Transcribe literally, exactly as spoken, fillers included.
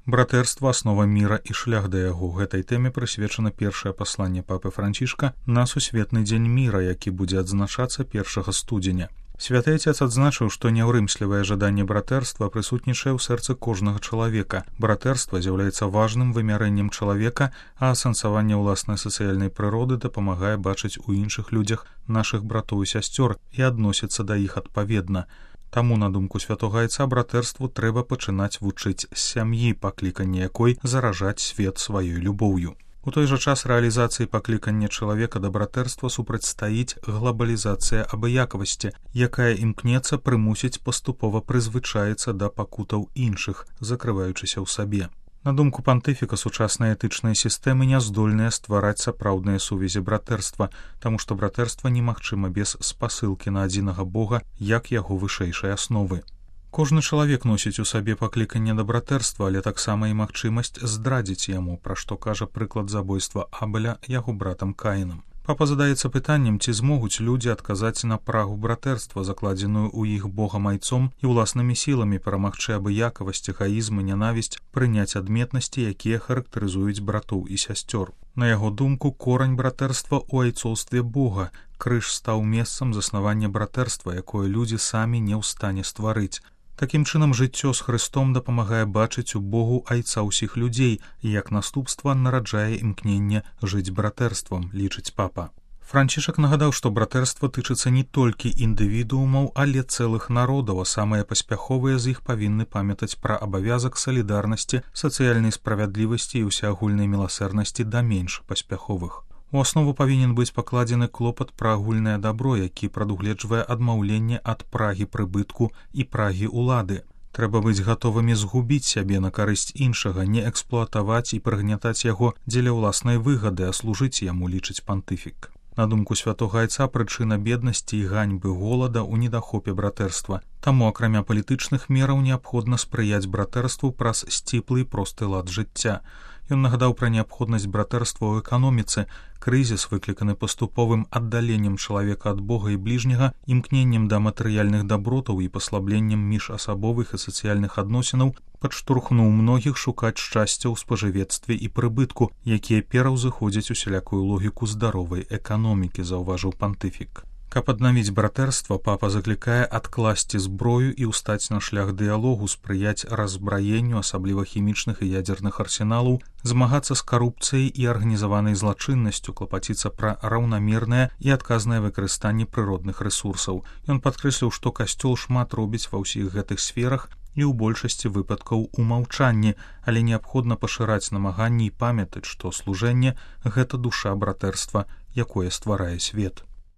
Братэрства — аснова міра і шлях да яго. Гэтай тэме прысвечана першае пасланне папы Францішка на сусветны дзень міра, які будзе адзначацца першага студзеня. Святы Отец адзначыў, што няўрымслівае жаданне братэрства прысутнічае ў сэрцы кожнага чалавека. Братэрства з'яўляецца важным вымярэннем чалавека, а асэнсаванне ўласнай сацыяльнай прыроды дапамагае бачыць у іншых людзях нашых братоў і сясцёр і адносіцца да іх адпаведна. Таму, на думку святога Айца, братэрству трэба пачынаць вучыць з сям'і, пакліканне якой заражаць свет сваёй любоўю. У той жа час рэалізацыі паклікання чалавека да братэрства супрацьстаіць глабалізацыя абыякавасці, якая імкнецца прымусіць паступова прызвычаіцца да пакутаў іншых, закрываючыся ў сабе. На думку пантыфіка, сучасныя этычныя сістэмы не здольныя ствараць сапраўдныя сувязі братэрства, таму што братэрства немагчыма без спасылкі на адзінага Бога як яго вышэйшай асновы. Кожны чалавек носіць у сабе пакліканне да братэрства, але таксама і магчымасць здрадзіць яму, пра што кажа прыклад забойства Абеля яго братам Каінам. Папа задаецца пытаннем, ці змогуць людзі адказаць на прагу братэрства, закладзеную ў іх Богам Айцом, і ўласнымі сіламі перамагчы абыякавасць, эгаізм і нянавісць, прыняць адметнасці, якія характарызуюць братоў і сясцёр. На яго думку, корань братэрства ў айцоўстве Бога. Крыж стаў месцам заснавання братэрства, якое людзі самі не ў стане стварыць. Такім чынам, жыццё з Хрыстом дапамагае бачыць у Богу Айца ўсіх людзей і, як наступства, нараджае імкненне жыць братэрствам, лічыць папа. Францішак нагадаў, што братэрства тычыцца не толькі індывідуумаў, але цэлых народаў, а самыя паспяховыя з іх павінны памятаць пра абавязак салідарнасці, сацыяльнай справядлівасці і ўсеагульнай міласэрнасці да менш паспяховых. У аснову павінен быць пакладзены клопат пра агульнае дабро, які прадугледжвае адмаўленне ад прагі прыбытку і прагі ўлады. Трэба быць гатовымі згубіць сябе на карысць іншага, не эксплуатаваць і прыгнятаць яго дзеля ўласнай выгады, а служыць яму, лічыць пантыфік. На думку святога Айца, прычына беднасці і ганьбы голада ў недахопе братэрства. Таму, акрамя палітычных мераў, неабходна спрыяць братэрству праз сціплы і просты лад жыцця. Ён нагадаў пра неабходнасць братэрства ў эканоміцы. Крызіс, выкліканы паступовым аддаленнем чалавека ад Бога і бліжняга, імкненнем да матэрыяльных дабротаў і паслабленнем міжасабовых і сацыяльных адносінаў, падштурхнуў многіх шукаць шчасця ў спажывецтве і прыбытку, якія пераўзыходзяць усялякую логіку здаровай эканомікі, заўважыў пантыфік. Каб аднавіць братэрства, папа заклікае адкласці зброю і ўстаць на шлях дыялогу, спрыяць раззбраенню, асабліва хімічных і ядзерных арсеналаў, змагацца з карупцыяй і арганізаванай злачыннасцю, клапаціцца пра раўнамернае і адказнае выкарыстанне прыродных рэсурсаў. Ён падкрэсліў, што касцёл шмат робіць ва ўсіх гэтых сферах і ў большасці выпадкаў у маўчанні, але неабходна пашыраць намаганні і памятаць, што служэнне — гэта душа братэрства, якое стварае свет.